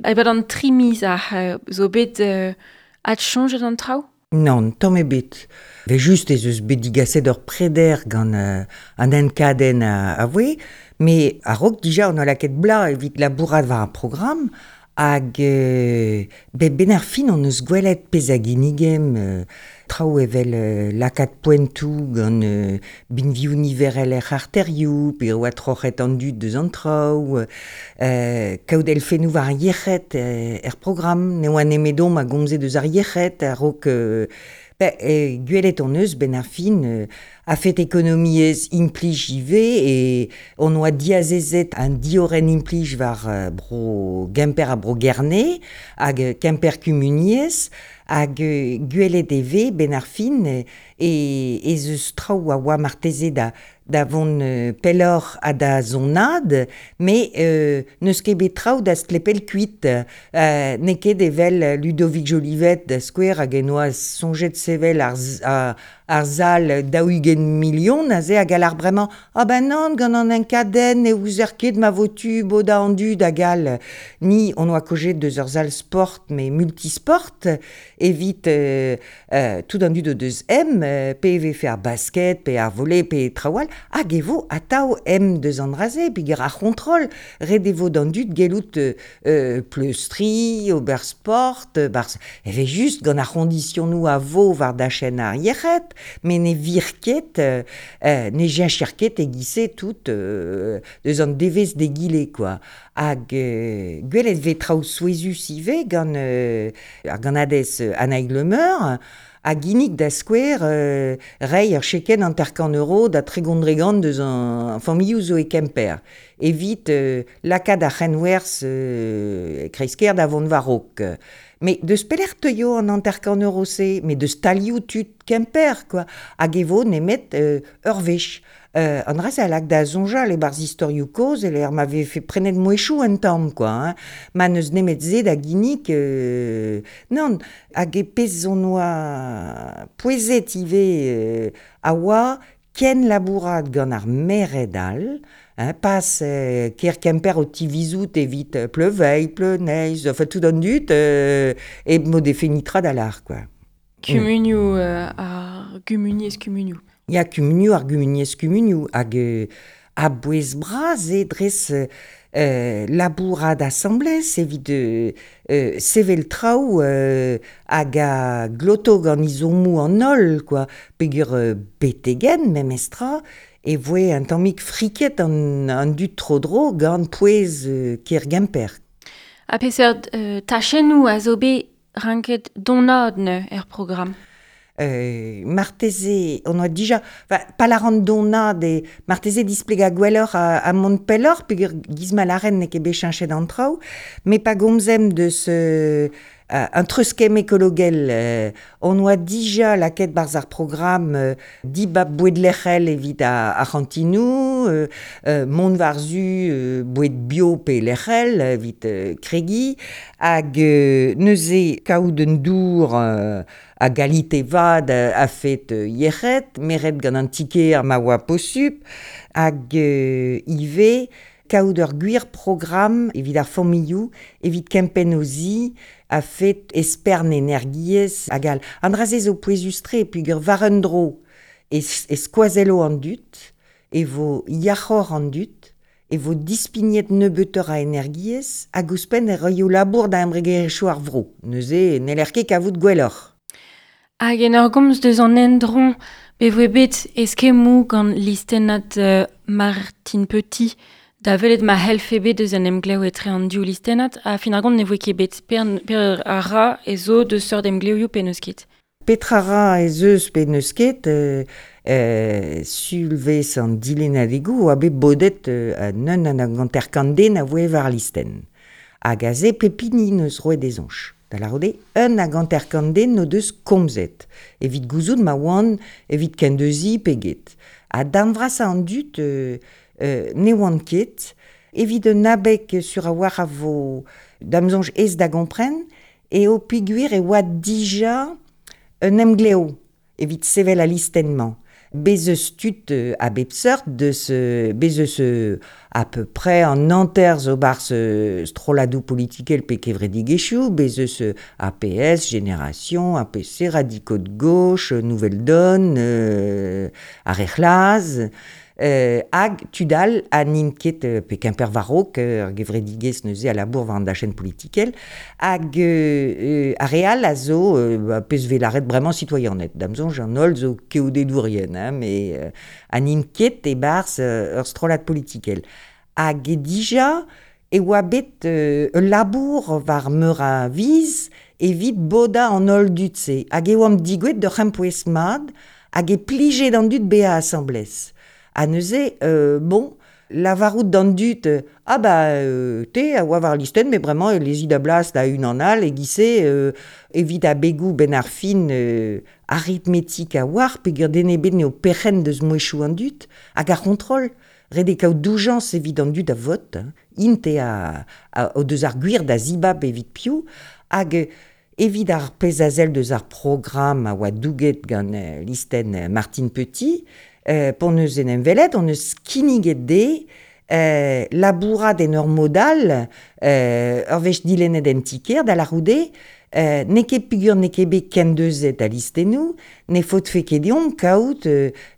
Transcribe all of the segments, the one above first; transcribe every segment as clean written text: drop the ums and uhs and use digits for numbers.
E-pad an tri miz ac'h zo bet adsoñjet an traoù? Nann, tamm ebet. Evel-just ez eus bet digaset ur preder gant an enkadenn a voe, met a-raok dija on oa lakaet bloaz evit labourat war ar programm hag bet 'benn ar fin hon eus gwelet pezh a ginnigemp traoù evel lakaat poentoù gant binvioù niverel er c'harterioù pe oa troc'het an dud deus an traoù, kaout elfennoù war ar yec'hed er programm. Ne oa nemedomp a gomze deus ar yec'hed a-raok gwelet hon eus 'benn ar fin a-fet ekonomiezh implij ivez e hon oa diazezet an diorren implij war bro Gemper ha bro Gerne hag Kemper Kumuniezh hag gwelet e vez 'benn ar fin ez eus traoù a oa marteze da vont pelloc'h ha da zonaat, met n'eus ket bet traoù da stlepel kuit. N'eo ket evel Ludovic Jolivet da skouer hag en doa soñjet sevel ar sal 40 milion aze hag a lâr bremañ ah ben nann gant an enkadenn ne ouzer ket ma vo tu bodañ an dud hag all. Ni hon oa kaozeet deus ur sal sport met multisport evit tout an dud o deus em, pe e vefe ar basket, pe ar volley, pe traoù all, hag e vo atav em deus an dra-se, peogwir ar c'hontrol, ret e vo d'an dud gellout pleustriñ, ober sport, barzh evel-just gant ar c'hoñdisionoù a vo war dachenn ar yec'hed, met ne vir ket, ne cheñcher ket e-giz-se tout deus an devezh d'egile quoi. Hag gwelet 'vez traoù souezhus ivez gant ar gannadez Annaig Le Meur a ginnig da skouer reiñ ur chekenn 50 euro da 30 dregont deus an familhoù zo e Kemper evit lakaat ar c'henwerzh kreiz-kêr da vont war-raok. Met deus pelec'h teuio an 50 euro-se? Met deus stalioù tud Kemper quoi. Hag e vo nemet ur wech. An dra-se a lak da soñjal e-barzh istorioù kozh e-lec'h ma vefe prenet mouezhioù un tamm quoi hein. Ma n'eus nemet se da ginnig nann. Hag e pezh hon oa pouezet ivez a oa ken labourat gant ar merc'hed all, hein, pas kêr Kemper o tivizout evit Pleuveilh, Pleuneiz, enfin tout an dud hep m'o defe netra da lâr quoi. Kumunioù ar gumuniezh kumunioù. Ya, kumunioù ar gumuniezh kumunioù hag a-bouez bras eo dres labourat asambles evit sevel traoù hag a gloto gant ezhommoù an holl quoi. Peogwir betek-henn memestra e voe un tammig friket an dud tro-dro gant pouez kêr Gemper. Ha peseurt tachennoù a zo bet ranket donaat neuze er programm? Marteze on oa dija, enfin, pa lâran donaat eo marteze displegañ gwelloc'h ha mont pelloc'h peogwir giz ma lâren n'eo ket bet cheñchet an traoù, met pa gomzemp deus un treuzkemm ekologel on oa dija lakaet 'barzh ar programm dibab boued lec'hel evit ar c'hantinoù, mont war-zu boued bio pe lec'hel evit kregiñ hag neuze kaout un dour a galite vat a-fet yec'hed, meret gant an ti-kêr ma oa posupl, hag ivez kaout ur gwir programm evit ar familhoù, evit kempenn o zi, a-fet espern energiezh hag all. An dra-se zo pouezus-tre peogwir war un dro e skoazello an dud, e vo yac'hoc'h an dud, e vo dispignet nebeutoc'h a energiezh hag ouzhpenn e roio labour da embregerezhioù ar vro. Neuze n'heller ket kavout gwelloc'h. Hag en ur gomz deus an endro, be voe bet eskemmoù gant listennad Martine Petit da welet ma c'hellfe bet eus an emglev etre an div listennad ha fin ar gont ne voe ket bet. Per a ra ez zo deus seurt emglevioù pe n'eus ket. Petra ra ez eus pe n'eus ket, sulvezh an dilennadegoù oa bet bodet un 51 den a voe war listenn. Hag aze pep hini 'neus roet e soñj. Da lârout eo 51 den o deus komzet evit gouzout ma oant evit kendeuziñ pe get. Ha darn vrasañ an dud ne oant ket. Evit un abeg sur a-walc'h a vo da'm soñj aes da gompren eo peogwir e oa dija un emglev evit sevel al listenn-mañ. Bez eus tud a bep seurt deus bez eus à peu près an hanter zo barzh strolladoù politikel pe kevredigezhioù, bez eus APS, Génération, APC, Radicaux de gauche, Nouvelle Donne, ar re c'hlaz, hag tud all ha n'int ket pe Kemper war-raok, ar gevredigezh neuze a labour war an dachenn politikel, hag ar re all a zo ba, pezh vez lâret bremañ sitoaianed. Da'm soñj an holl zo keodedourien, hein, met ha n'int ket e-barzh ur strollad politikel. Hag dija e oa bet ul labour war meur a viz evit bodañ an holl dud-se. Hag e oamp digouezet d'ur c'hempouez mat hag e plije d'an dud bezañ asambles. Ha neuze, bon, lavarout d'an dud, ah ba te a oa war listenn, met bremañ e lezi da blas da unan all, e-giz-se evit abegoù benn ar fin aritmetik a-walc'h, peogwir den ebet n'eo perc'henn deus mouezhioù an dud, hag ar c'hontrol, ret eo kaout doujañs evit an dud a vot, hein. Int eo o deus ar gwir da zibab evit piv, hag evit ar pezh a sell deus ar programm a oa douget gant listenn Martine Petit, p'hon eus en em welet, hon eus kinniget dezhe labourat en ur mod all, ur wech dilennet en ti-kêr, da lârout eo, n'eo ket peogwir n'eo ket bet kendeuzet al listennoù, ne faotfe ket deomp kaout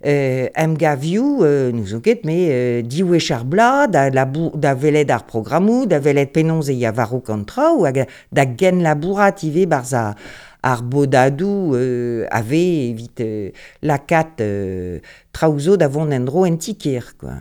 emgavioù, n'ouzon ket, me, div wech ar bloaz, da labour, da welet ar programmoù, da welet penaos e ya war-raok an traoù, hag da genlabourat ivez barzh ar bodadoù a vez evit lakaat traoù zo da vont en-dro en ti-kêr, quoi.